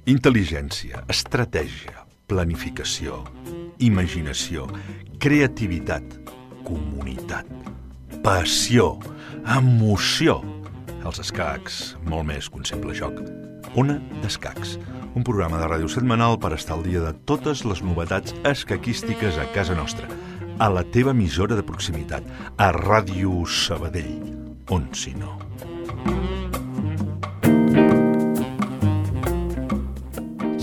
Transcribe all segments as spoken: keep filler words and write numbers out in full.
Intel·ligència, estratègia, planificació, imaginació, creativitat, comunitat, passió, emoció. Els escacs, molt més que un simple joc. Ona d'Escacs, un programa de ràdio setmanal per estar al dia de totes les novetats escaquístiques a casa nostra, a la teva emissora de proximitat, a Ràdio Sabadell, on si no.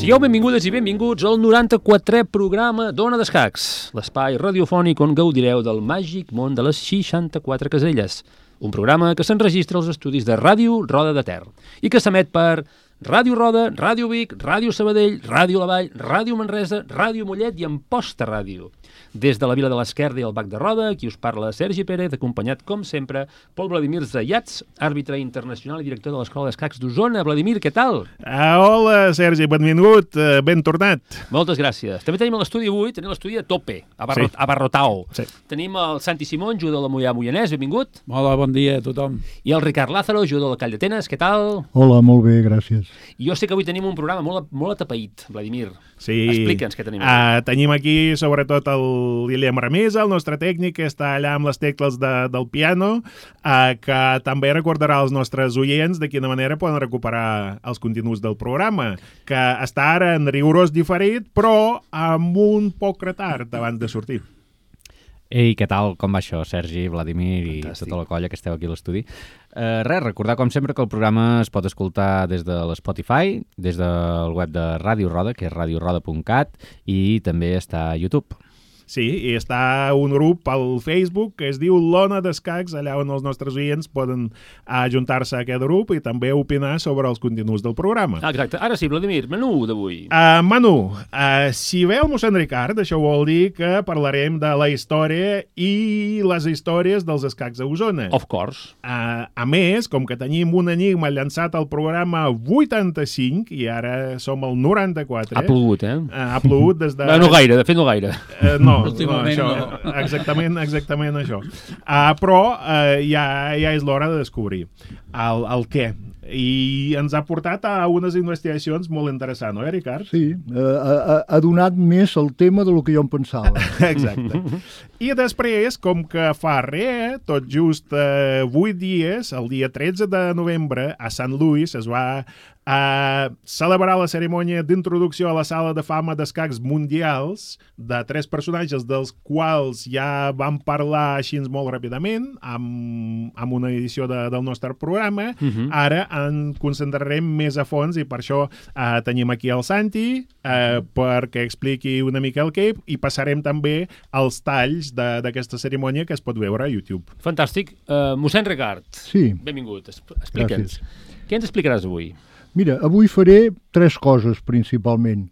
Sigueu benvingudes i benvinguts al noranta-quatrè programa d'Ona d'Escacs, l'espai radiofònic on gaudireu del màgic món de les seixanta-quatre caselles, un programa que s'enregistra als estudis de Ràdio Roda de Ter i que s'emet per Ràdio Roda, Ràdio Vic, Ràdio Sabadell, Ràdio La Vall, Ràdio Manresa, Ràdio Mollet i Amposta Ràdio. Des de la Vila de l'Esquerda i el Bac de Roda, aquí us parla Sergi Pérez, acompanyat, com sempre, pel Vladimir Zayats, àrbitre internacional i director de l'Escola d'Escacs d'Osona. Vladimir, què tal? Ah, hola, Sergi, benvingut, uh, ben tornat. Moltes gràcies. També tenim a l'estudi avui, tenim l'estudi a tope, abarrot, sí. abarrotao. Sí. Tenim el Santi Simón, jugador de la Mollà Moianès, benvingut. Hola, bon dia a tothom. I el Ricard Lázaro, jugador del Call d'Atenes, què tal? Hola, molt bé, gràcies. I jo sé que avui tenim un programa molt, molt atapeït, Vladimir. Sí. Explica'ns què tenim. Uh, tenim aquí, sobretot, el Guillem Ramesa, el nostre tècnic, que està allà amb les tecles de, del piano, uh, que també recordarà als nostres oients de quina manera poden recuperar els continguts del programa, que està ara en rigorós diferit, però amb un poc retard abans de sortir. Ei, què tal? Com va això, Sergi, Vladimir i Fantàstic. Tota la colla que esteu aquí a l'estudi? Uh, res, recordar com sempre que el programa es pot escoltar des de l'Spotify, des del web de Ràdio Roda, que és radio roda punt cat, i també està a YouTube. Sí, i està un grup al Facebook que es diu l'Ona d'Escacs, allà on els nostres oients poden ajuntar-se a aquest grup i també opinar sobre els continguts del programa. Ah, exacte. Ara sí, Vladimir, menú d'avui. Uh, menú. Uh, si ve el mossèn Ricard, això vol dir que parlarem de la història i les històries dels escacs a Osona. Of course. Uh, a més, com que tenim un enigma llançat al programa vuitanta-cinc i ara som al noranta-quatre... Ha plogut, eh? Uh, ha plogut des de... No, no gaire, de fet no gaire. Uh, no, no, Últimament això, no. exactament, exactament això. Uh, però uh, ja, ja és l'hora de descobrir el, el què. I ens ha portat a unes investigacions molt interessants, oi, Ricard? Sí, eh, ha, ha donat més el tema del que jo em pensava. Exacte. I després, com que fa res, tot just eh, vuit dies, el dia tretze de novembre, a Sant Louis es va a celebrar la cerimònia d'introducció a la sala de fama d'escacs mundials de tres personatges dels quals ja vam parlar així molt ràpidament amb, amb una edició de, del nostre programa. Uh-huh. Ara en concentrarem més a fons i per això eh, tenim aquí el Santi eh, perquè expliqui una mica el que i passarem també als talls d'aquesta cerimònia que es pot veure a YouTube. Fantàstic. Uh, mossèn Ricard, Sí. benvingut. Explica'ns. Què ens explicaràs avui? Mira, avui faré tres coses principalment.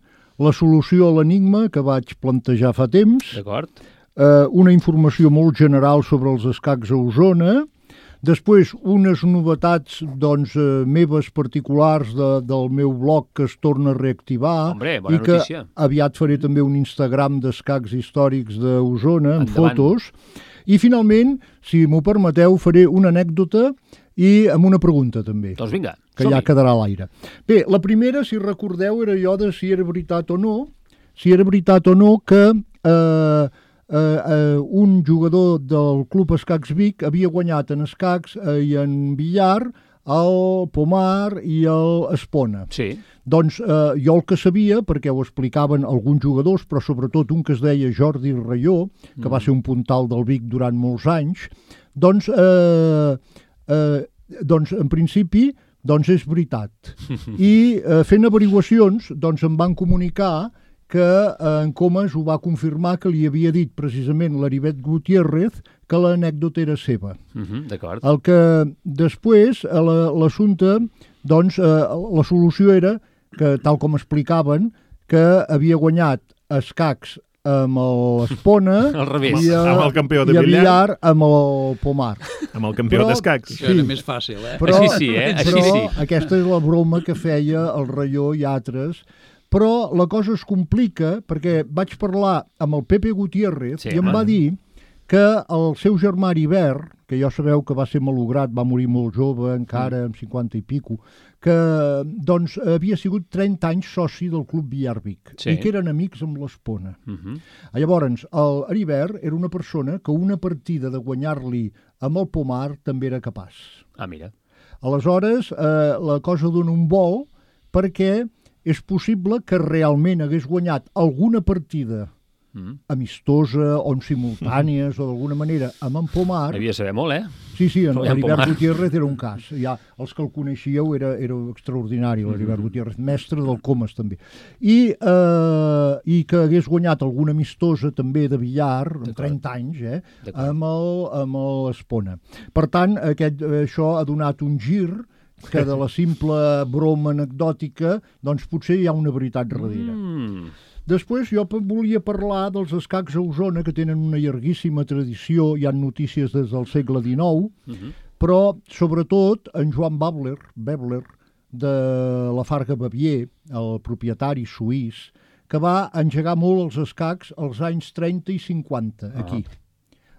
La solució a l'enigma que vaig plantejar fa temps, D'acord. eh, una informació molt general sobre els escacs a Osona, després unes novetats doncs, eh, meves particulars de, del meu blog que es torna a reactivar. Hombre, bona i que notícia. aviat faré també un Instagram d'escacs històrics d'Osona amb Endavant. fotos. I finalment, si m'ho permeteu, faré una anècdota i amb una pregunta també, Doncs vinga, que ja quedarà a l'aire. Bé, la primera, si recordeu, era allò de si era veritat o no, si era veritat o no que eh, eh, eh, un jugador del Club Escacs Vic havia guanyat en escacs eh, i en billar el Pomar i el Espona. Sí. Doncs eh, jo el que sabia, perquè ho explicaven alguns jugadors, però sobretot un que es deia Jordi Rayó, que mm. va ser un puntal del Vic durant molts anys, doncs, eh, eh, doncs en principi, doncs és veritat. I eh, fent averiguacions, doncs em van comunicar que eh, en Comas ho va confirmar que li havia dit precisament l'Heribert Gutiérrez que l'anècdota era seva. Uh -huh, D'acord. El que després, l'assumpte, doncs eh, la solució era que, tal com explicaven, que havia guanyat escacs amb l'Espona Al revés. i, a, Amb el campió de i a billar. billar amb el Pomar. Amb el campió Però- d'escacs. Això era més fàcil, eh? Però, Així sí, eh? Així però sí. aquesta és la broma que feia el Rayó i altres però la cosa es complica perquè vaig parlar amb el Pepe Gutiérrez Sí, i em home. va dir que el seu germà Heribert, que ja sabeu que va ser malograt, va morir molt jove, encara amb cinquanta i pico, que doncs havia sigut trenta anys soci del Club Villar Vic Sí. i que eren amics amb l'Espona. Uh -huh. Llavors, el Heribert era una persona que una partida de guanyar-li amb el Pomar també era capaç. Ah, mira. Aleshores, eh, la cosa dona un vol perquè és possible que realment hagués guanyat alguna partida Mm. amistosa o en simultànies o d'alguna manera amb en Pomar. Havia de saber molt, eh? Sí, sí, en Però ja en l'Heribert Pomar. Gutiérrez era un cas. Ja, els que el coneixíeu era, era extraordinari, l'Heribert Gutiérrez, mestre del Comas també. I, eh, I que hagués guanyat alguna amistosa també de billar, amb trenta anys, eh, D'acord. amb el- amb l'Espona. Per tant, aquest, això ha donat un gir que de la simple broma anecdòtica, doncs potser hi ha una veritat darrere. Mm. Després jo pe- volia parlar dels escacs a Osona, que tenen una llarguíssima tradició, hi ha notícies des del segle dinou, Uh -huh. però sobretot en Joan Babler, Babler de la Farga Bavier, el propietari suís, que va engegar molt els escacs als anys trenta i cinquanta, aquí,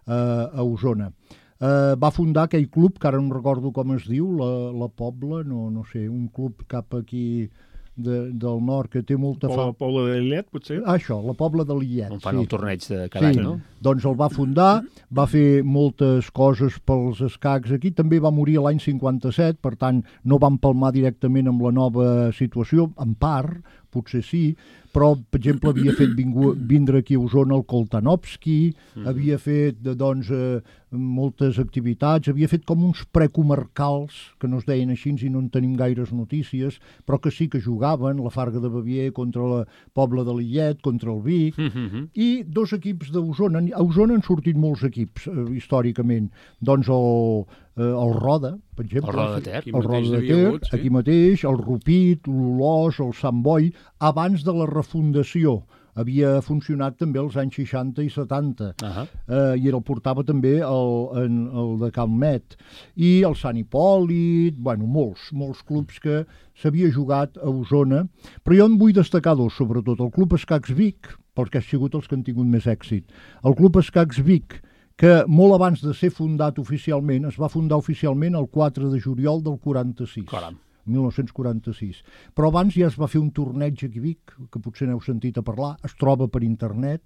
uh, a Osona. Uh, va fundar aquell club, que ara no recordo com es diu, la, la Pobla, no, no sé, un club cap aquí de, del nord, que té molta Poble, fama. Poble de Lillet, potser? Ah, això, la Pobla de Lillet. On fan sí. el torneig de cada Sí, any, no? doncs el va fundar, va fer moltes coses pels escacs aquí, també va morir l'any cinquanta-set, per tant no va empalmar directament amb la nova situació, en part, potser sí, però, per exemple, havia fet vingu, vindre aquí a Osona el Koltanovski, mm. havia fet, doncs, eh, moltes activitats, havia fet com uns precomarcals, que no es deien així i no en tenim gaires notícies, però que sí que jugaven, la Farga de Bavier contra la Pobla de Lillet, contra el Vic, Uh -huh. i dos equips d'Osona. A Osona han sortit molts equips, eh, històricament. Doncs el, eh, el Roda, per exemple. El Roda de Ter. Aquí El Roda mateix de n'havia Ter, hagut, sí. aquí mateix, el Rupit, l'Olós, el Sant Boi, abans de la refundació. Havia funcionat també als anys seixanta i setanta. Uh -huh. eh, i el portava també el, en, el de Calmet. I el Sant Hipòlit, bueno, molts, molts clubs que s'havia jugat a Osona. Però jo en vull destacar dos, sobretot. El Club Escacs Vic, perquè ha sigut els que han tingut més èxit. El Club Escacs Vic, que molt abans de ser fundat oficialment, es va fundar oficialment el quatre de juliol del quaranta-sis. Caram. mil nou-cents quaranta-sis. Però abans ja es va fer un torneig aquí a Vic, que potser n'heu sentit a parlar, es troba per internet,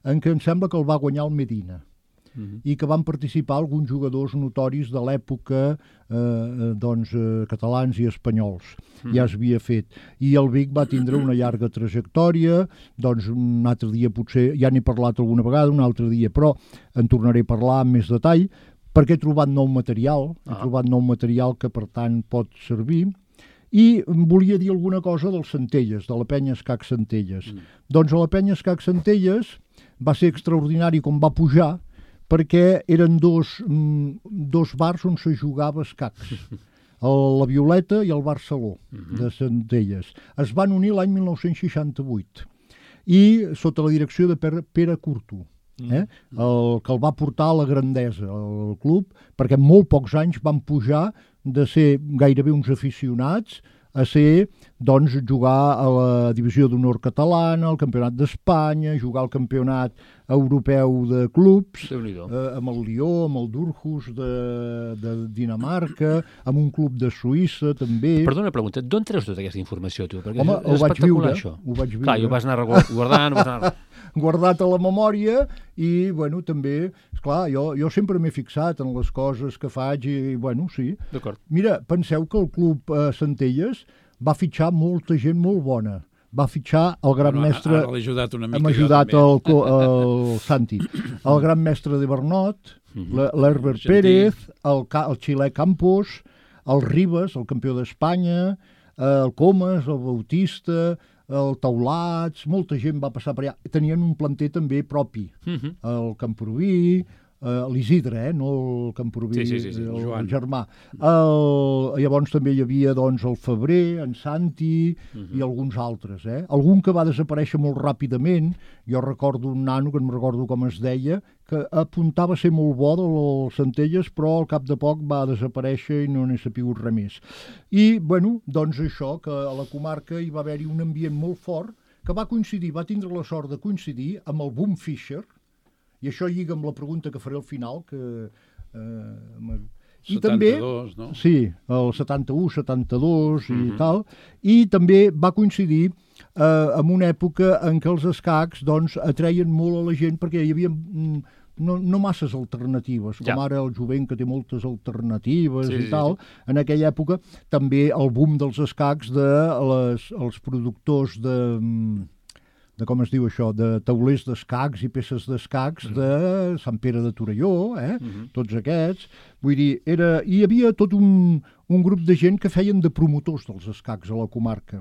en què em sembla que el va guanyar el Medina. Uh-huh. I que van participar alguns jugadors notoris de l'època, eh, doncs, eh, catalans i espanyols. Uh-huh. Ja es havia fet. I el Vic va tindre una llarga trajectòria, doncs un altre dia potser, ja n'he parlat alguna vegada, un altre dia, però en tornaré a parlar amb més detall, perquè he trobat nou material, he Ah. trobat nou material que per tant pot servir, i volia dir alguna cosa dels Centelles, de la penya Escac Centelles. Mm. Doncs a la penya Escac Centelles va ser extraordinari com va pujar, perquè eren dos, mm, dos bars on se jugava escacs, el, la Violeta i el Bar Saló, mm-hmm. de Centelles. Es van unir l'any mil nou-cents seixanta-vuit, i sota la direcció de Pere, Pere Curto. Eh? El que el va portar a la grandesa, el club, perquè en molt pocs anys van pujar de ser gairebé uns aficionats a ser, doncs, jugar a la divisió d'honor catalana, al campionat d'Espanya, jugar al campionat europeu de clubs, Déu-n'hi-do. eh, amb el Lió, amb el Durhus de, de Dinamarca, amb un club de Suïssa, també. Perdona una pregunta, d'on treus tota aquesta informació, tu? Perquè Home, és ho vaig espectacular, viure, això. ho vaig viure. Clar, i ho vas anar guardant, ho vas anar... guardat a la memòria i, bueno, també, esclar, jo, jo sempre m'he fixat en les coses que faig i, bueno, sí. D'acord. Mira, penseu que el club eh, Centelles va fitxar molta gent molt bona. Va fitxar el gran Bueno, mestre... Ara l'he ajudat una mica. Hem jo ajudat també. el, co- el Santi. El gran mestre de Bernot, l- l'Herbert Argentí. Pérez, el, Ca- el xilè Campos, el Ribas, el campió d'Espanya, eh, el Comas, el Bautista, el Taulats, molta gent va passar per allà. Tenien un planter també propi. Mhm. El Camproví, Uh, l'Isidre, eh? no el Camproví, sí, sí, sí, sí. el, Joan. el germà. El, llavors també hi havia doncs, el Febrer, en Santi uh-huh. i alguns altres. Eh? Algun que va desaparèixer molt ràpidament, jo recordo un nano, que no recordo com es deia, que apuntava a ser molt bo dels Centelles, però al cap de poc va desaparèixer i no n'he sapigut res més. I, bueno, doncs això, que a la comarca hi va haver-hi un ambient molt fort, que va coincidir, va tindre la sort de coincidir amb el boom Fisher, i això lliga amb la pregunta que faré al final, que... Eh, i setanta-dos, també, no? Sí, el setanta-u, setanta-dos i Mhm. tal, i també va coincidir eh, amb una època en què els escacs doncs, atreien molt a la gent perquè hi havia mm, no, no masses alternatives, com Ja. ara el jovent que té moltes alternatives Sí, i sí, tal. En aquella època també el boom dels escacs de les, els productors de... mm, de com es diu això, de taulers d'escacs i peces d'escacs de Sant Pere de Torelló, eh? Mhm. Tots aquests. Vull dir, era... hi havia tot un, un grup de gent que feien de promotors dels escacs a la comarca.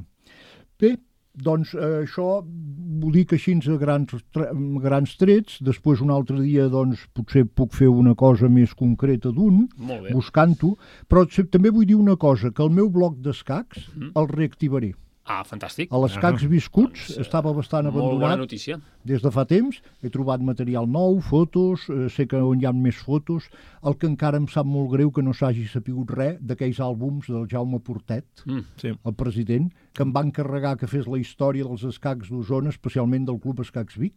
Bé, doncs eh, això ho dic així a grans, tre- grans trets, després un altre dia doncs potser puc fer una cosa més concreta d'un, Molt bé. buscant-ho, però se- també vull dir una cosa, que el meu bloc d'escacs el reactivaré. Ah, fantàstic. A l'Escacs Viscuts Doncs, eh, estava bastant Molt bona abandonat notícia. des de fa temps, he trobat material nou, fotos, eh, sé que on hi ha més fotos, el que encara em sap molt greu que no s'hagi sapigut res d'aquells àlbums del Jaume Portet, Mm. Sí. el president, que em va encarregar que fes la història dels escacs d'Osona, especialment del Club Escacs Vic.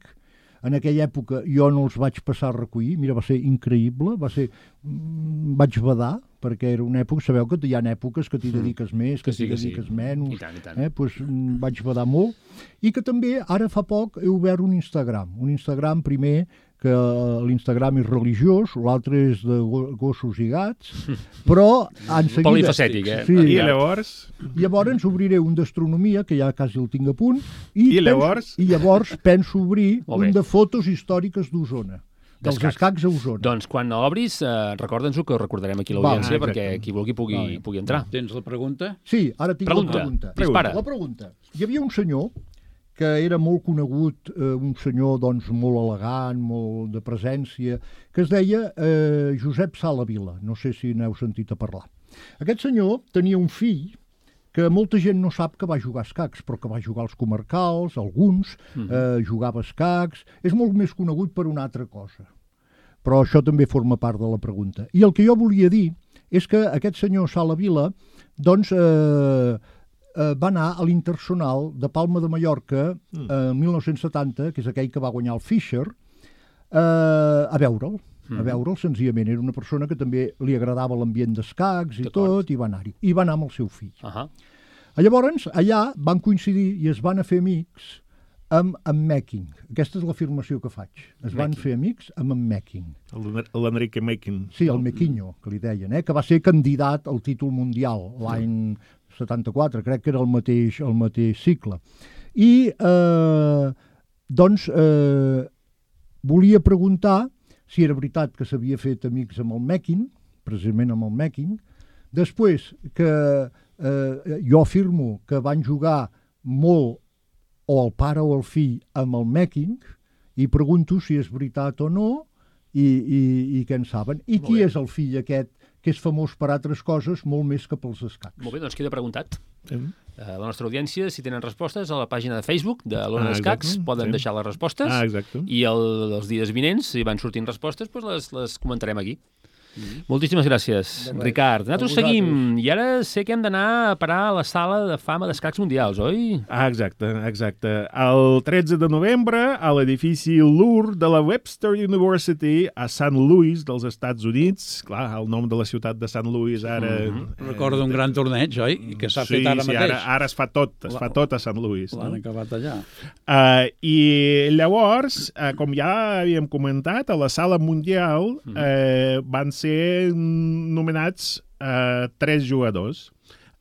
En aquella època jo no els vaig passar a recollir, mira, va ser increïble, va ser... mm, vaig badar, perquè era una època, sabeu que hi ha èpoques que t'hi dediques més, que, Que sí, t'hi que sí. dediques menys, I tant, i tant. eh? pues, mm, vaig badar molt, i que també ara fa poc he obert un Instagram, un Instagram primer que l'Instagram és religiós, l'altre és de go- gossos i gats, però en seguida... Polifacètic, eh? Sí. I llavors... Llavors obriré un d'astronomia, que ja quasi el tinc a punt, i, I llavors? penso, i llavors penso obrir Molt bé. un de fotos històriques d'Osona, dels D'escacs. escacs a Osona. Doncs quan obris, eh, recorda'ns-ho, que ho recordarem aquí a l'audiència, Val, perquè exacte. qui vulgui pugui, Vale. pugui entrar. Tens la pregunta? Sí, ara tinc Pregunta. la pregunta. Dispara. La pregunta. Hi havia un senyor que era molt conegut, eh, un senyor doncs, molt elegant, molt de presència, que es deia eh, Josep Sala Vila. No sé si n'heu sentit a parlar. Aquest senyor tenia un fill que molta gent no sap que va jugar a escacs, però que va jugar als comarcals, alguns, eh, jugava a escacs... És molt més conegut per una altra cosa. Però això també forma part de la pregunta. I el que jo volia dir és que aquest senyor Sala Vila doncs, eh, eh, va anar a l'Intersonal de Palma de Mallorca eh, el mil nou-cents setanta, que és aquell que va guanyar el Fisher, eh, a veure'l. A veure'l, senzillament. Era una persona que també li agradava l'ambient d'escacs i D'acord. tot, i va anar-hi. I va anar amb el seu fill. Ahà. Llavors, allà van coincidir i es van a fer amics amb en Mecking. Aquesta és l'afirmació que faig. Es van Mecking. fer amics amb en Mecking. L'Enrique Mekin. Sí, el Mequinho, que li deien, eh? que va ser candidat al títol mundial l'any setanta-quatre, crec que era el mateix, el mateix cicle. I, eh, doncs, eh, volia preguntar si era veritat que s'havia fet amics amb el Mecking, precisament amb el Mecking. Després, que eh, jo afirmo que van jugar molt o el pare o el fill amb el Mecking, i pregunto si és veritat o no, i, i, i què en saben. I qui bé. és el fill aquest, que és famós per altres coses, molt més que pels escacs? Molt bé, doncs queda preguntat. Sí. Eh, la nostra audiència, si tenen respostes, a la pàgina de Facebook de l'Ona Ah, d'Escacs exacte, poden sí. deixar les respostes Ah, exacte. i el, els dies vinents, si van sortint respostes, doncs les, les comentarem aquí. Moltíssimes gràcies, De res. Ricard. A Nosaltres vosaltres. seguim, i ara sé que hem d'anar a parar a la sala de fama d'escacs mundials, oi? Ah, exacte, exacte. El tretze de novembre, a l'edifici Louvre de la Webster University a Saint Louis dels Estats Units. Clar, el nom de la ciutat de Saint Louis ara... Mm-hmm. Recordo un gran torneig, oi? I que s'ha sí, fet ara sí, mateix. Ara, ara es fa tot, es fa tot a Saint Louis. L'han No? acabat allà. Uh, I llavors, uh, com ja havíem comentat, a la sala mundial uh, van ser nomenats uh, tres jugadors.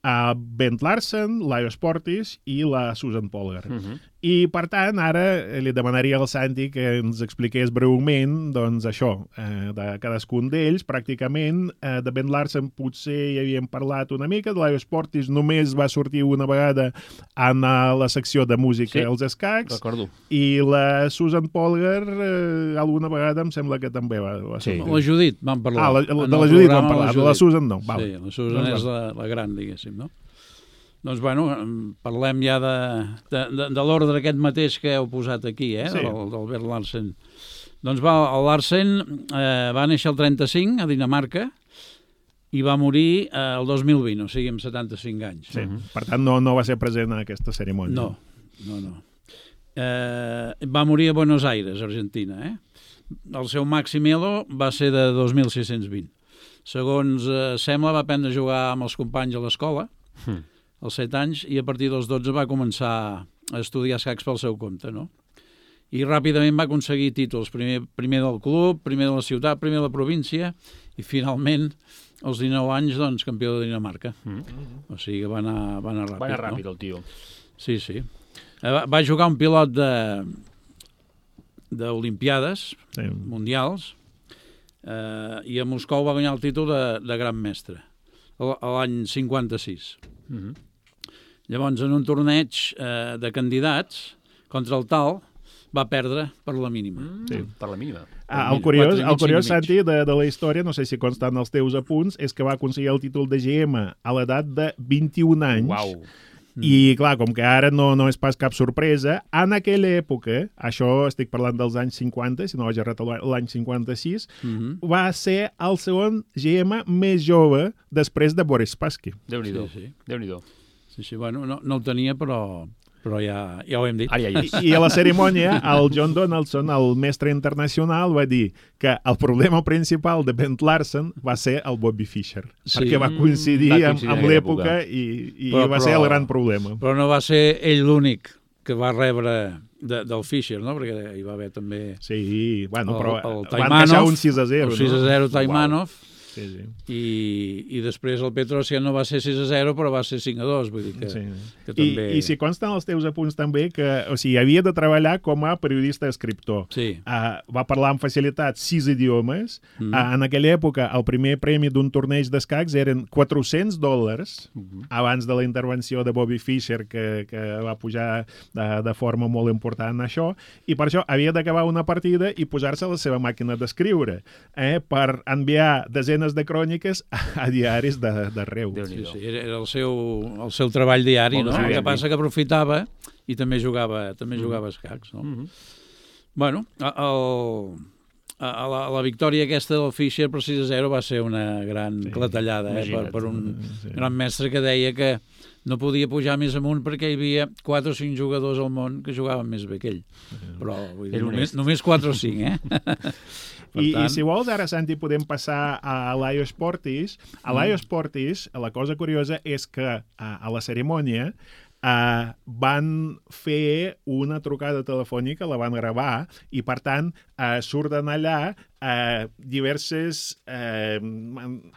Uh, Ben Larsen, Laios Portis i la Susan Polgar. Mhm. I, per tant, ara li demanaria al Santi que ens expliqués breument, doncs, això, eh, de cadascun d'ells. Pràcticament, eh, de Ben Larsen potser hi havíem parlat una mica, de l'Aio Sportis només va sortir una vegada en la secció de música Sí, als escacs, recordo. i la Susan Polgar eh, alguna vegada em sembla que també va, va Sí. sortir. La Judit, vam parlar. Ah, la, la, En de el la Judit vam programa, parlar, de la Susan no. Val. Sí, la Susan Doncs és la, la gran, diguéssim, no? Doncs, bueno, parlem ja de, de, de, de l'ordre aquest mateix que heu posat aquí, eh, Sí. del, del Bert Larsen. Doncs va, el Larsen eh, va néixer el trenta-cinc a Dinamarca i va morir eh, el dos mil vint, o sigui, amb setanta-cinc anys. Sí. Per tant, no, no va ser present en aquesta cerimònia. No, no, no. Eh, va morir a Buenos Aires, Argentina, eh? El seu màxim elo va ser de dos mil sis-cents vint. Segons eh, sembla, va aprendre a jugar amb els companys a l'escola, Mm. als set anys, i a partir dels dotze va començar a estudiar escacs pel seu compte, no? I ràpidament va aconseguir títols, primer, primer del club, primer de la ciutat, primer de la província, i finalment, als dinou anys, doncs, campió de Dinamarca. Mm. O sigui que va anar, va anar ràpid, Va anar no? ràpid, el tio. Sí, sí. Eh, Va, va jugar un pilot de d'Olimpiades Sí. mundials eh, i a Moscou va guanyar el títol de, de gran mestre l- l'any cinquanta-sis. Mm -hmm. Llavors, en un torneig eh, de candidats contra el tal, va perdre per la mínima. Mm, Sí. Per la mínima. Ah, el Quatre curiós, i mig, el curiós cinc i mig. Santi, de, de la història, no sé si consta en els teus apunts, és que va aconseguir el títol de G M a l'edat de vint-i-un anys. Uau. I, clar, com que ara no, no és pas cap sorpresa, en aquella època, això estic parlant dels anys cinquanta, si no vaig errat l'any cinquanta-sis, Mhm. va ser el segon G M més jove després de Boris Spassky. Déu-n'hi-do. Sí, sí. Déu-n'hi-do. Sí, sí, bueno, no, no el tenia, però, però ja, ja ho hem dit. Ara ja hi és. I a la cerimònia, el John Donaldson, el mestre internacional, va dir que el problema principal de Ben Larsen va ser el Bobby Fischer, Sí. perquè va coincidir, Va amb, coincidir en amb aquella l'època i, i Però- va ser però- el gran problema. Però no va ser ell l'únic que va rebre de, del Fischer, no? Perquè hi va haver també Sí, bueno, el, però el van Taimanov, deixar un sis a zero, el sis a no? zero Taimanov, Sí, sí. i, i després el Petrosian no va ser sis a zero, però va ser cinc a dos, vull dir que, Sí. que I, també... I si consten els teus apunts també que, o sigui, havia de treballar com a periodista-escriptor. Sí. Uh, va parlar amb facilitat sis idiomes. Mm. Uh, en aquella època, el primer premi d'un torneig d'escacs eren quatre-cents dòlars, Mhm. abans de la intervenció de Bobby Fischer, que, que va pujar de, de forma molt important en això, i per això havia d'acabar una partida i posar-se a la seva màquina d'escriure, eh, per enviar desenes de cròniques a, a diaris d'arreu. Sí, Déu-n'hi-do. sí, era era el seu, el seu treball diari, Molt no? bé, El que ben passa que aprofitava i també jugava també Mm. jugava a escacs, no? Mhm. Bueno, a- el, a, a la, a la victòria aquesta del Fischer per sis a zero va ser una gran Sí, clatellada, eh, per, imagina't. per un Sí. gran mestre que deia que no podia pujar més amunt perquè hi havia quatre o cinc jugadors al món que jugaven més bé que ell. Però vull dir, Era només, honest. només quatre o cinc, eh? Per I, tant- I si vols, ara, Santi, podem passar a l'Aio Sportis. A l'Aio Sportis, la cosa curiosa és que a, a la cerimònia Uh, van fer una trucada telefònica, la van gravar, i per tant uh, surten allà uh, diverses, uh,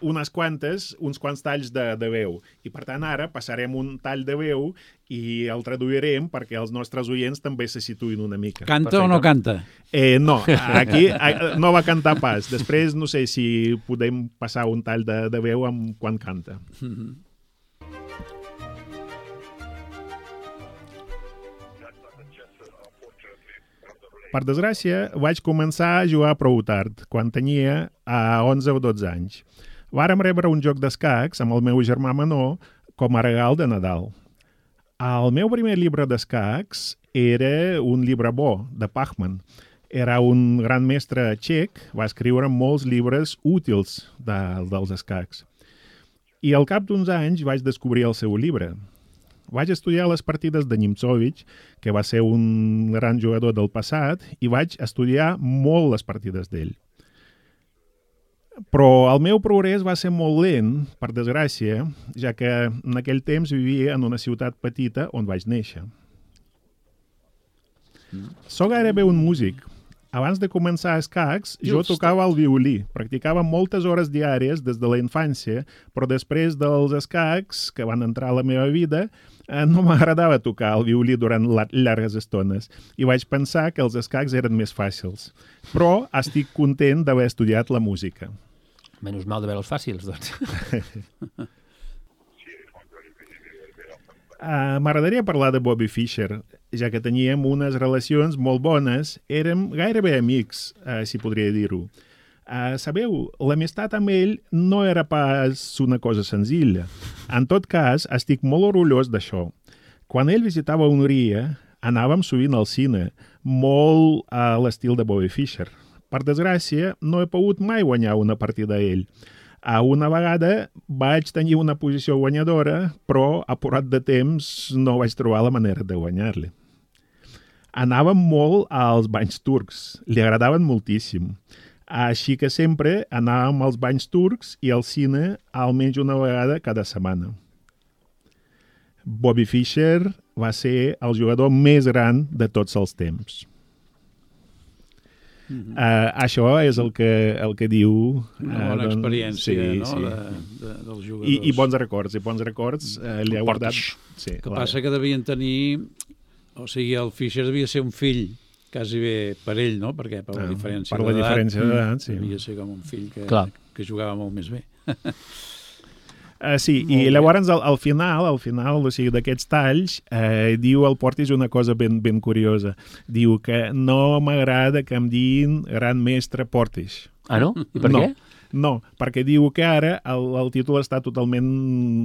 unes quantes, uns quants talls de, de veu. I per tant ara passarem un tall de veu i el traduirem perquè els nostres oients també se situïn una mica. Canta Perfecte. o no canta? Eh, no, aquí a, no va cantar pas. Després no sé si podem passar un tall de, de veu amb quan canta. Mhm. Per desgràcia, vaig començar a jugar prou tard, quan tenia a onze o dotze anys. Vàrem rebre un joc d'escacs amb el meu germà menor com a regal de Nadal. El meu primer llibre d'escacs era un llibre bo, de Pachman. Era un gran mestre txec, va escriure molts llibres útils de, dels escacs. I al cap d'uns anys vaig descobrir el seu llibre. Vaig estudiar les partides de Nimzovich, que va ser un gran jugador del passat, i vaig estudiar molt les partides d'ell. Però el meu progrés va ser molt lent, per desgràcia, ja que en aquell temps vivia en una ciutat petita on vaig néixer. Soc gairebé un músic, abans de començar escacs, jo tocava el violí. Practicava moltes hores diàries des de la infància, però després dels escacs, que van entrar a la meva vida, no m'agradava tocar el violí durant llargues estones i vaig pensar que els escacs eren més fàcils. Però estic content d'haver estudiat la música. Menys mal de veure els fàcils, doncs. Uh, M'agradaria parlar de Bobby Fischer, ja que teníem unes relacions molt bones, érem gairebé amics, uh, si podria dir-ho. Uh, sabeu, l'amistat amb ell no era pas una cosa senzilla. En tot cas, estic molt orgullós d'això. Quan ell visitava Hongria, anàvem sovint al cine, molt a l'estil de Bobby Fischer. Per desgràcia, no he pogut mai guanyar una partida a ell. A una vegada vaig tenir una posició guanyadora, però apurat de temps no vaig trobar la manera de guanyar-li. Anàvem molt als banys turcs, li agradaven moltíssim. Així que sempre anàvem als banys turcs i al cine almenys una vegada cada setmana. Bobby Fischer va ser el jugador més gran de tots els temps. Mm-hmm. Uh, això és el que, el que diu... Una bona uh, experiència, sí, no?, sí. de, de, dels jugadors. I, I bons records, i bons records uh, li ha guardat... Sí, que passa que devien tenir... O sigui, el Fischer devia ser un fill quasi bé per ell, no? Perquè per la diferència per la diferència d'edat, sí. Devia ser com un fill que, Clar. que jugava molt més bé. Uh, sí, i llavors al, al final, al final, o sigui, d'aquests talls, eh, diu el Portis una cosa ben, ben curiosa. Diu que no m'agrada que em diguin gran mestre Portis. Ah, no? I per no, què? No, perquè diu que ara el, el títol està totalment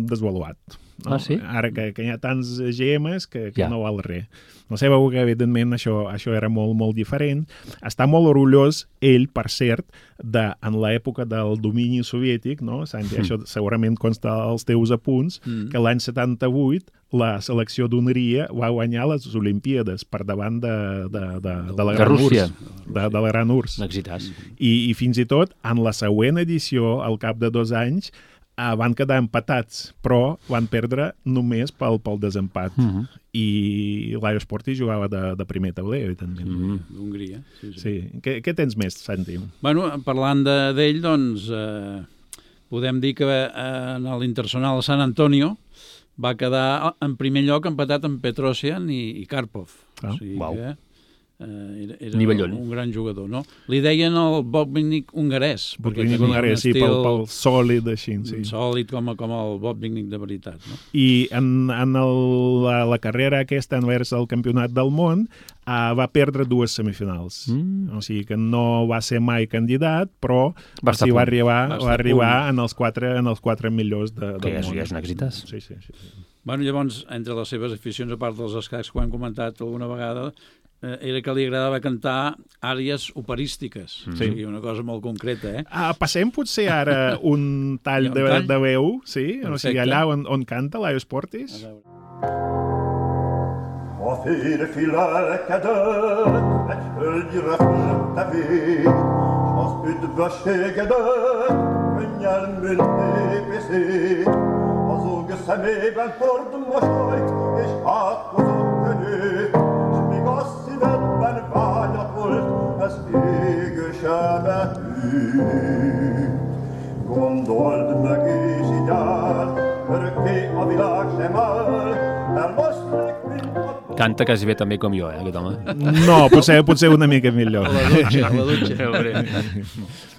desvaluat. No? Ah, sí? Ara que, que hi ha tants G Ms que, que Ja. no val res. No sé, veu que evidentment això, això era molt, molt diferent. Està molt orgullós ell, per cert, de, en l'època del domini soviètic, no, Santi? Mm. Això segurament consta als teus apunts, mm. que l'any setanta-vuit la selecció d'Hongria va guanyar les Olimpíades per davant de, de, de, de la De Gran Rússia. Urs. De, de la Gran Urs. L'exitàs. I, I fins i tot, en la següent edició, al cap de dos anys, eh, van quedar empatats, però van perdre només pel, pel desempat. Mm -hmm. I l'Aios Porti jugava de, de primer tauler, evidentment. Mm -hmm. D'Hongria. Sí, sí. Sí. Què, què tens més, Santi? Bueno, parlant de- d'ell, doncs, eh, podem dir que eh, en l'Internacional San Antonio va quedar en primer lloc empatat amb Petrosian i, i Karpov. Ah, o sigui uau. que eh, era, era Nivellón. un gran jugador, no? Li deien el Bobignik hongarès. Perquè tenia ningú un ara, sí, pel, estil pel sòlid, així. Sí. sòlid com, a- com el Bobignik de veritat, no? I en, en el, la, la carrera aquesta envers el campionat del món uh, va perdre dues semifinals. Mm. O sigui que no va ser mai candidat, però Va estar sí, a va punt. arribar, Va va estar a arribar punt. en els quatre, en els quatre millors de, del Que és, món. ja és un exitàs. Sí, sí, sí. sí. Bueno, llavors, entre les seves aficions, a part dels escacs que ho hem comentat alguna vegada, eh, era que li agradava cantar àries operístiques. Sí. O sigui, una cosa molt concreta, eh? Uh, passem potser ara un tall, Un de, tall? de veu, sí? O sigui, Perfecte. allà on, on canta l'Aios Portis. A veure. A félfélelkedett, egy hölgyre fölötte vég, az üdvösségedett, könnyen mint népészék. Azog szemében hord mosolyt, és átkozott könnyűt, s míg a szívedben vágyat volt, ez égősen betűnt. Gondold meg és így áll, örökké a világ sem áll, elmoszlik, mint a Canta quasi bé també com jo, eh, aquest home. No, potser, potser una mica millor. A la dutxa, a la dutxa.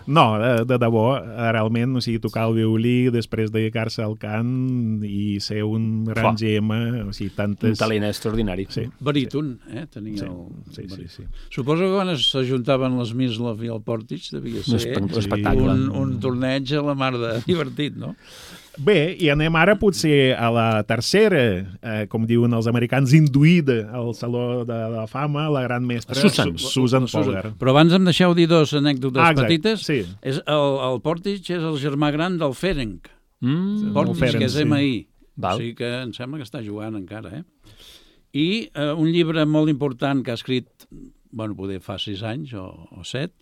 No, de, de debò, realment, o sigui, tocar el violí, després dedicar-se al cant i ser un gran Clar. gema, o sigui, tantes... Un talent extraordinari. Sí. Baríton, eh? Tenia Sí, el... sí, sí, baríton. sí. Suposo que quan s'ajuntaven les Mislov i el Portich devia Un ser espe- un espectacle. un, un torneig a la mar de divertit, no? Bé, i anem ara potser a la tercera, eh, com diuen els americans, induïda al Saló de la Fama, la gran mestra Susan. Su Susan La Susan. Polgar. Però abans em deixeu dir dos anècdotes Ah, exacte, petites. sí. És el, el Portich és el germà gran del Ferenc. Mm. Portich, Ferenc, que és sí. M I. Val. O sigui que em sembla que està jugant encara, eh? I eh, un llibre molt important que ha escrit, bueno, poder fa sis anys o, o set,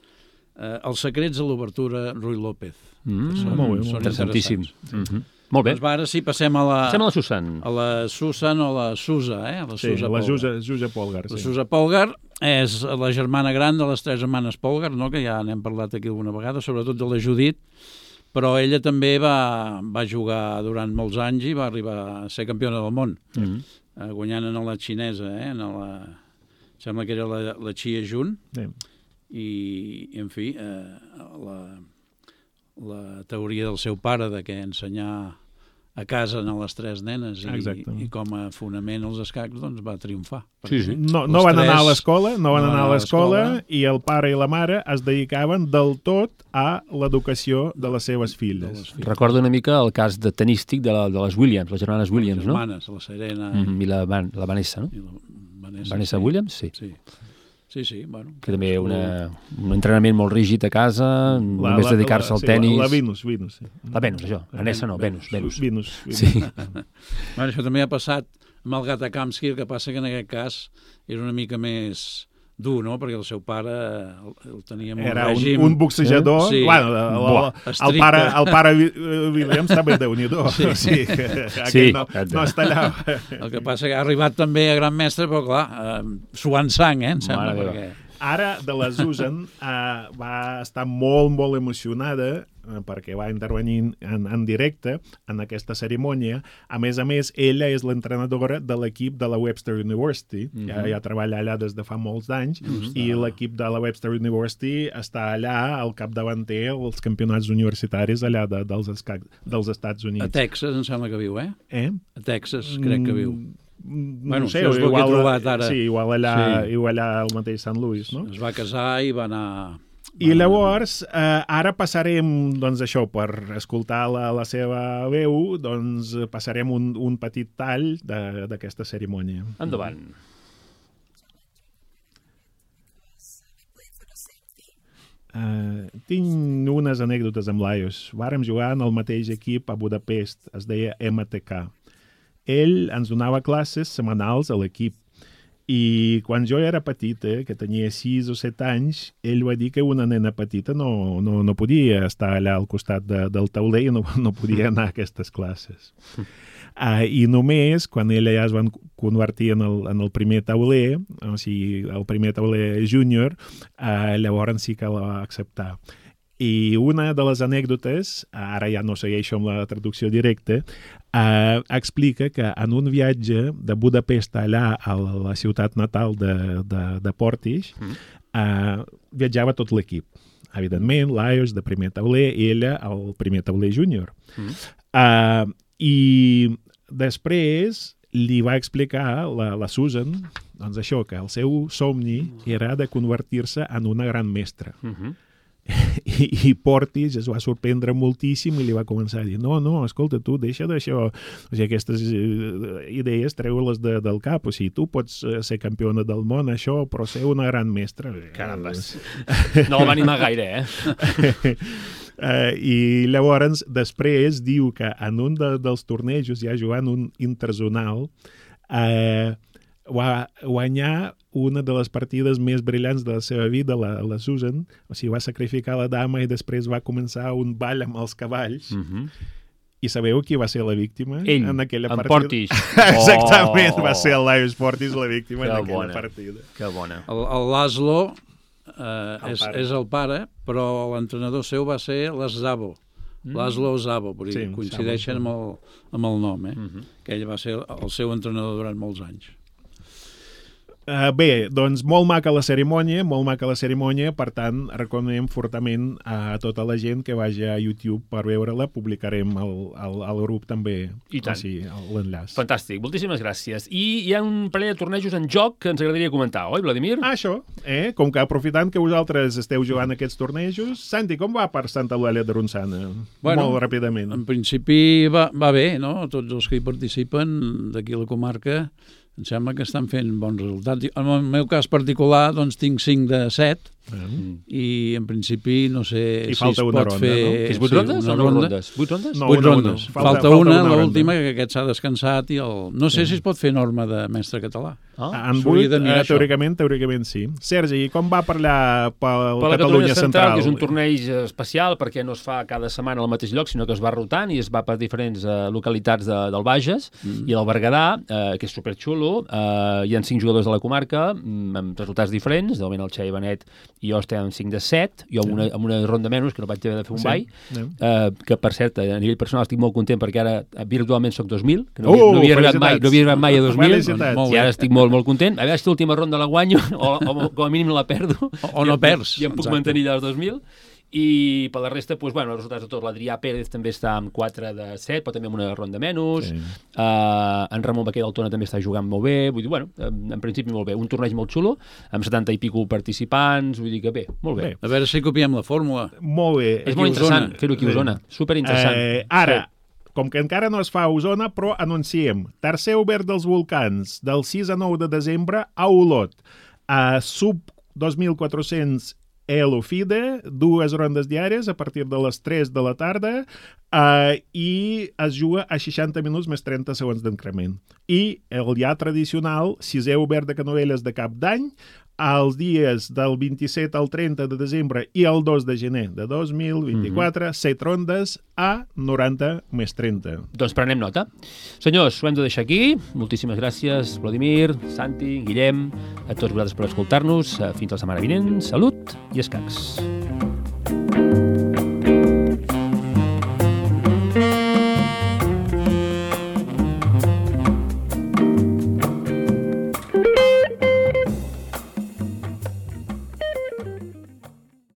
eh, Els secrets de l'obertura Ruy López. Mm. Que són, Molt bé, molt són Interessantíssim. interessants. Mm -hmm. Molt bé. Doncs va, ara sí, passem a la... Passem a la Susan. A la Susan o la Susa, eh? La Sí, Susa la Polgar. Susa, Susa Polgar. La Sí. Susa Polgar és la germana gran de les tres germanes Polgar, no? Que ja n'hem parlat aquí alguna vegada, sobretot de la Judit, però ella també va, va jugar durant molts anys i va arribar a ser campiona del món, Mm. eh, guanyant en la xinesa, eh? En la... Sembla que era la, la Chia Jun, Sí. i, en fi, eh, la, la teoria del seu pare de que ensenyar a casa a les tres nenes i, Exactament. i com a fonament els escacs doncs va triomfar. Sí, sí. No, no Els van anar a tres l'escola, no van no anar a l'escola i el pare i la mare es dedicaven del tot a l'educació de les seves de filles. les filles. Recordo una mica el cas de tenístic de, la, de les Williams, les germanes Williams, les no? germanes, la Serena Mm, I la, Van, la Vanessa, no? i la Vanessa. Vanessa sí. Williams, sí. Sí, sí, sí bueno. Que també una, un entrenament molt rígid a casa, només dedicar-se al sí, tenis. La, la Venus, Venus. Sí. La Venus, això. Vanessa no, Venus, Venus. Venus. Venus. Sí. Bueno, això també ha passat amb el Gatakamsky, el que passa que en aquest cas és una mica més dur, no? Perquè el seu pare el, el tenia molt Era un, règim. un boxejador. Sí. Bueno, el, el, Buah, el, estricte. pare, el pare Vi- Williams també déu-n'hi-do. Sí. Sí. Aquell Sí, no, exacte. no es tallava. El que passa que ha arribat també a gran mestre, però clar, eh, suant sang, eh, em sembla, Mare meva. perquè... Ara, de la Susan, uh, va estar molt, molt emocionada uh, perquè va intervenir en, en directe en aquesta cerimònia. A més a més, ella és l'entrenadora de l'equip de la Webster University. Mm -hmm. ja, ja treballa allà des de fa molts anys. Mm -hmm. I l'equip de la Webster University està allà al capdavanter als campionats universitaris allà de, dels, esca- dels Estats Units. A Texas, em sembla que viu, eh? Eh? A Texas, crec que viu. Mm, Bueno, no sé, això és el que he igual, trobat ara. Sí, igual allà, Sí. igual allà al mateix Sant Louis, no? Es va casar i va anar... I llavors, eh, ara passarem, doncs això, per escoltar la, la seva veu, doncs eh, passarem un, un petit tall de- d'aquesta cerimònia. Endavant. Uh, tinc unes anècdotes amb l'Aios. Vàrem jugar en el mateix equip a Budapest, es deia M T K. Ell ens donava classes setmanals a l'equip. I quan jo era petita, que tenia sis o set anys, ell va dir que una nena petita no, no, no podia estar allà al costat de, del tauler i no, no podia anar a aquestes classes. Uh, I només quan ella ja es van convertir en el, en el primer tauler, o sigui, el primer tauler júnior, uh, llavors sí que la va acceptar. I una de les anècdotes, ara ja no segueixo amb la traducció directa, eh, explica que en un viatge de Budapest allà a la ciutat natal de, de, de Portis, eh, viatjava tot l'equip. Evidentment, l'Aios de primer tauler i ella el primer tauler júnior. Mm. Eh, I després li va explicar la, la Susan doncs això, que el seu somni era de convertir-se en una gran mestra. Uh -huh. I, i Portis es va sorprendre moltíssim i li va començar a dir no, no, escolta, tu deixa d'això, o sigui, aquestes eh, idees treu-les de, del cap, o sigui, tu pots eh, ser campiona del món, això, però ser una gran mestra. Carambes. No el va animar gaire, eh? Uh, I llavors, després, diu que en un de, dels tornejos, ja jugant un interzonal, uh, va guanyar una de les partides més brillants de la seva vida, la, la Susan, o sigui, va sacrificar la dama i després va començar un ball amb els cavalls. Uh -huh. I sabeu qui va ser la víctima Ell, en aquella en partida? Portis. Exactament, Oh. va ser el Laios Portis la víctima Que en aquella bona. partida. Que bona. El, el Laszlo eh, El és, pare. és el pare, però l'entrenador seu va ser l'Szabo. Mm. Laszlo Szabo, perquè Sí, coincideixen amb el, amb el nom, eh? Uh -huh. Que ell va ser el seu entrenador durant molts anys. Uh, bé, doncs molt maca la cerimònia, molt maca la cerimònia, per tant, recomanem fortament a tota la gent que vagi a YouTube per veure-la, publicarem al, al, al grup també I tant. o sigui, l'enllaç. Fantàstic, moltíssimes gràcies. I hi ha un parell de tornejos en joc que ens agradaria comentar, oi, Vladimir? Ah, això, eh? Com que aprofitant que vosaltres esteu jugant aquests tornejos, Santi, com va per Santa Eulàlia de Ronçana? Bueno, molt ràpidament. En principi va, va bé, no? Tots els que hi participen d'aquí a la comarca em sembla que estan fent bons resultats. En el meu cas particular, doncs, tinc cinc de set, Mm. i en principi no sé I si falta es una pot ronda, fer... no? Que és vuit sí, rondes una o no ronda. rondes? Vuit rondes? No, Vuit una, rondes. una. Falta, Falta- falta falta una, una l'última, ronda. que aquest s'ha descansat i el... No sé si es pot fer norma de mestre català. Ah, En s'hauria vuit, de mirar eh, això. teòricament, teòricament sí. Sergi, i com va per allà pel per la Catalunya Central? que és un torneig especial perquè no es fa cada setmana al mateix lloc, sinó que es va rotant i es va per diferents uh, localitats de, del Bages mm. i el Berguedà, uh, que és superxulo. Uh, hi ha cinc jugadors de la comarca mm, amb resultats diferents. De moment el Xavi Benet i jo estem amb cinc de set, jo amb una, amb una ronda menys, que no vaig haver de fer un Sí. ball, Sí. uh, que per cert, a nivell personal estic molt content perquè ara uh, virtualment soc dos mil, que no, Uh, havia, no, havia arribat felicitats. mai, no havia arribat mai a dos mil, Felicitats. Molt i bé. ara estic molt, molt content. A veure si l'última ronda la guanyo, o, o com a mínim no la perdo. O- o no I em- perds, I em puc exacte. mantenir allà als dos mil. I per la resta, doncs, bueno, els resultats de tot. L'Adrià Pérez també està amb quatre de set, però també amb una ronda menys. Sí. Uh, en Ramon Baquer d'Altona també està jugant molt bé. Vull dir, bueno, en, en principi molt bé. Un torneig molt xulo, amb setanta i pico participants. Vull dir que bé, molt bé. Bé. A veure si copiem la fórmula. Molt bé. És Aquí molt a Osona. interessant fer-ho aquí a Osona. Superinteressant. Eh, ara, com que encara no es fa a Osona, però anunciem tercer obert dels volcans del sis a nou de desembre a Olot. A sub dos mil quatre-cents Elofide, dues rondes diàries a partir de les tres de la tarda eh, i es juga a seixanta minuts més trenta segons d'increment. I el ja tradicional sisè obert de Canovelles de Cap d'Any els dies del vint-i-set al trenta de desembre i el dos de gener de dos mil vint-i-quatre, mm-hmm. set rondes a noranta més trenta. Doncs prenem nota. Senyors, ho hem de deixar aquí. Moltíssimes gràcies, Vladimir, Santi, Guillem, a tots vosaltres per escoltar-nos. Fins la setmana vinent. Salut i escacs.